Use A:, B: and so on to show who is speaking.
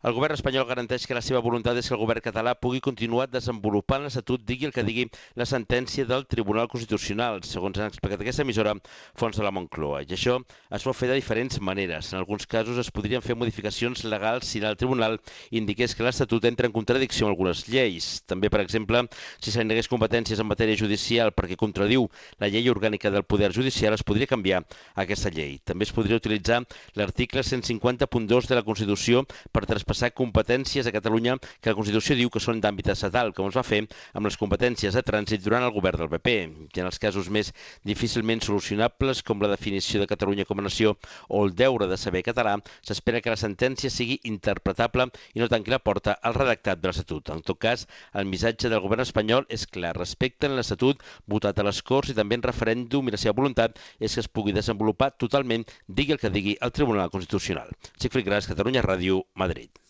A: El govern espanyol garanteix que la seva voluntat és que el govern català pugui continuar desenvolupant l'Estatut, digui el que digui la sentència del Tribunal Constitucional, segons han explicat aquesta emissora fonts de la Moncloa. I això es pot fer de diferents maneres. En alguns casos es podrien fer modificacions legals si el Tribunal indiqués que l'Estatut entra en contradicció amb algunes lleis. També, per exemple, si se li negués competències en matèria judicial perquè contradiu la llei orgànica del Poder Judicial, es podria canviar aquesta llei. També es podria utilitzar l'article 150.2 de la Constitució per traspassar competències a Catalunya que la Constitució diu que són d'àmbit estatal, com es va fer amb les competències de trànsit durant el govern del PP. I en els casos més difícilment solucionables, com la definició de Catalunya com a nació o el deure de saber català, s'espera que la sentència sigui interpretable i no tanqui la porta al redactat de l'Estatut. En tot cas, el missatge del govern espanyol és clar: respecten l'Estatut votat a les Corts i també en referèndum, i la seva voluntat és que es pugui desenvolupar totalment, digui el que digui el Tribunal Constitucional. Sigfrid Gras, Catalunya Ràdio, Madrid.